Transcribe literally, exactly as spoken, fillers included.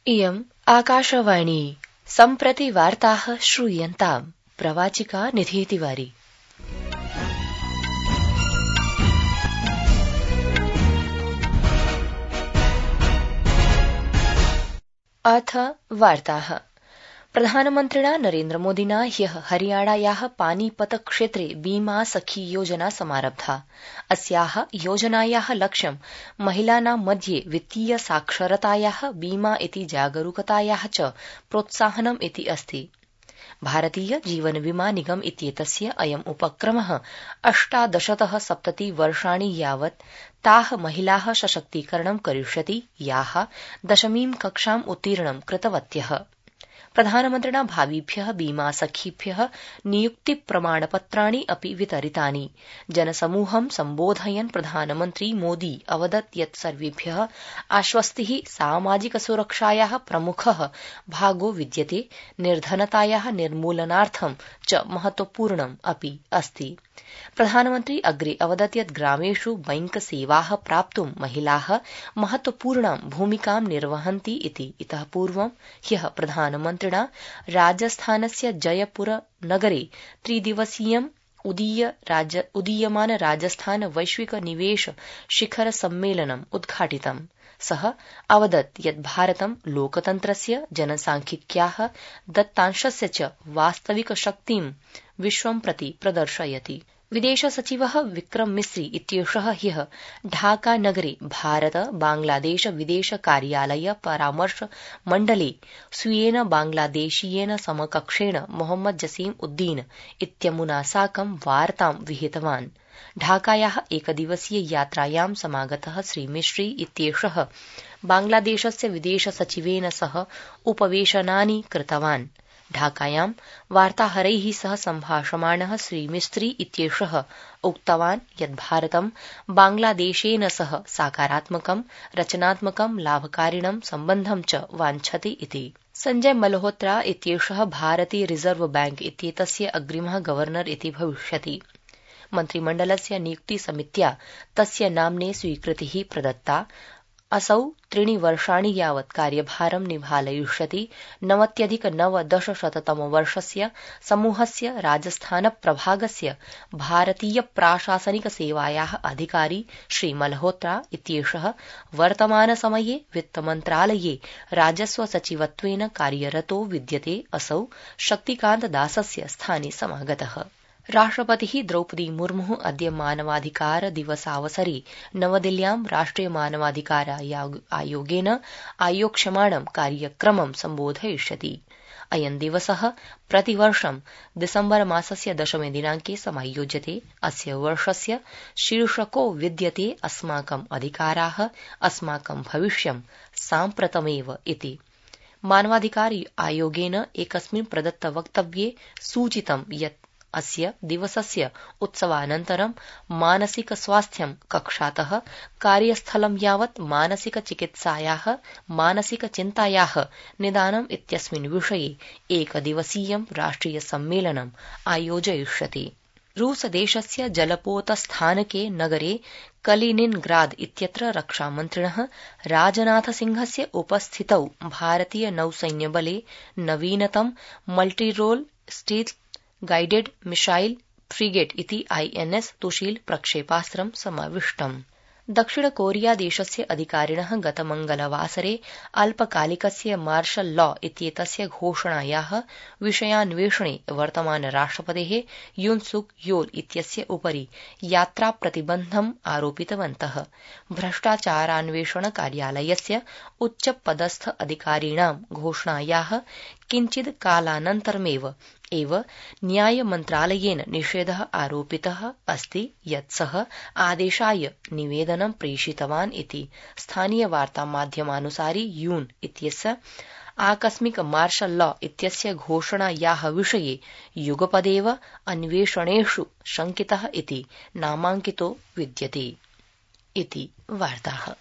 इयम् आकाशवाणी सम्प्रति वार्ताः श्रूयन्ताम् प्रवाचिका निधि। अथ वार्ताः। प्रधानमन्त्रिणा नरेन्द्रमोदिना ह्यः हरियाणायाः पानीपत क्षेत्रे बीमा सखी योजना समारब्धा। अस्याः योजनायाः लक्ष्यं महिलानां मध्ये वित्तीय साक्षरतायाः, बीमा इति जागरूकतायाः च प्रोत्साहनम् इति अस्ति। भारतीय जीवन बीमा निगम इत्येतस्य अयम् उपक्रमः अष्टादशतः सप्तति वर्षाणि यावत् ताः महिलाः सशक्तीकरणं करिष्यति याः दशमीं कक्षाम् उत्तीर्णं कृतवत्यः। प्रधानमन्त्रिणा भावीभ्यः बीमा सखीभ्यः नियुक्ति प्रमाणपत्राणि अपि वितरितानि। जनसमूहं सम्बोधयन् प्रधानमन्त्री मोदी अवदत् यत् सर्वेभ्यः आश्वस्तिः सामाजिक सुरक्षायाः प्रमुखः भागो विद्यते, निर्धनतायाः निर्मूलनार्थं च महत्वपूर्णम् अपि अस्ति। प्रधानमन्त्री अग्रे अवदत् यत् ग्रामेषु बैंक सेवाः प्राप्तुं महिलाः महत्वपूर्णां भूमिकां निर्वहन्ति इति। इतः पूर्वं ह्यः प्रधानमन्त्रिणा राजस्थानस्य जयपुर नगरे त्रिदिवसीयं उदीयमान राजस्थान वैश्विक निवेश शिखर सम्मेलनम् उद्घाटितम्। सः अवदत् यत् भारतं लोकतन्त्रस्य, जनसांख्यिक्याः दत्तांशस्य च वास्तविक शक्तिं विश्वं प्रति प्रदर्शयति। विदेश सचिवः विक्रम मिस्री इत्येषः ह्यः ढाका नगरे भारत बांग्लादेश विदेश कार्यालय परामर्श मण्डले स्वीयेन बांग्लादेशीयेन समकक्षेण मोहम्मद जसीम उद्दीन इत्यमुना साकं वार्तां विहितवान्। ढाकायाः एकदिवसीय यात्रायां समागतः श्री मिस्री इत्येषः बांग्लादेशस्य विदेश सचिवेन सह उपवेशनानि कृतवान्। ढाकायां वार्ताहरैः सह सम्भाषमाणः श्री मिस्त्री इत्येषः उक्तवान् यत् भारतं बांग्लादेशेन सह सकारात्मकं, रचनात्मकं, लाभकारिणं सम्बन्धं च वाञ्छति इति। संजय मल्होत्रा इत्येषः भारतीय रिजर्व बैंक इत्येतस्य अग्रिमः गवर्नर इति भविष्यति। मन्त्रिमण्डलस्य नियुक्ति समित्या तस्य नाम्ने स्वीकृतिः प्रदत्ता। असौ त्रीणि वर्षाणि यावत् कार्यभारं निभालयिष्यति। नवत्यधिक नवदशशततमवर्षस्य समूहस्य राजस्थान प्रभागस्य भारतीय प्राशासनिक सेवायाः अधिकारी श्री मल्होत्रा इत्येषः वर्तमानसमये वित्तमन्त्रालये राजस्व सचिवत्वेन कार्यरतो विद्यते। असौ शक्तिकान्त दासस्य स्थाने समागतः। राष्ट्रपतिः द्रौपदी मुर्मुः अद्य मानवाधिकार दिवसावसरे नवदिल्ल्यां राष्ट्रिय मानवाधिकार आयोगेन आयोक्ष्यमाणं कार्यक्रमं सम्बोधयिष्यति। अयं दिवसः प्रतिवर्षं दिसम्बर मासस्य दशमे दिनाङ्के समायोज्यते। अस्य वर्षस्य शीर्षको विद्यते अस्माकम् अधिकाराः, अस्माकं भविष्यं साम्प्रतमेव इति। मानवाधिकार आयोगेन एकस्मिन् प्रदत्त वक्तव्ये सूचितं यत् अस्य दिवसस्य उत्सवानन्तरं मानसिक स्वास्थ्यं कक्षातः कार्यस्थलं यावत् मानसिक चिकित्सायाः, मानसिक चिन्तायाः निदानम् इत्यस्मिन् विषये एकदिवसीयं राष्ट्रिय सम्मेलनम् आयोजयिष्यति। रूसदेशस्य जलपोतस्थानके नगरे कलिनिनग्राद इत्यत्र रक्षामन्त्रिणः राजनाथसिंहस्य उपस्थितौ भारतीय नौसैन्यबले नवीनतम multirole stealth guided missile frigate इति आईएनएस तुशील प्रक्षेपास्त्रं समाविष्टम्। दक्षिण कोरिया देशस्य अधिकारिणः गतमङ्गलवासरे अल्पकालिकस्य मार्शल लॉ इत्येतस्य घोषणायाः विषयान्वेषणे वर्तमान राष्ट्रपतेः युन सुक योल इत्यस्य उपरि यात्राप्रतिबन्धम् आरोपितवन्तः। भ्रष्टाचारान्वेषण कार्यालयस्य उच्चपदस्थ अधिकारिणां घोषणायाः किञ्चिद् कालानन्तरमेव एव न्यायमन्त्रालयेन निषेधः आरोपितः अस्ति यत् सः आदेशाय निवेदनं प्रेषितवान् इति। स्थानीयवार्तामाध्यमानुसारि यून इत्यस्य आकस्मिक मार्शल लॉ इत्यस्य घोषणायाः विषये युगपदेव अन्वेषणेषु शङ्कितः इति नामाङ्कितो विद्यते इति वार्ताः।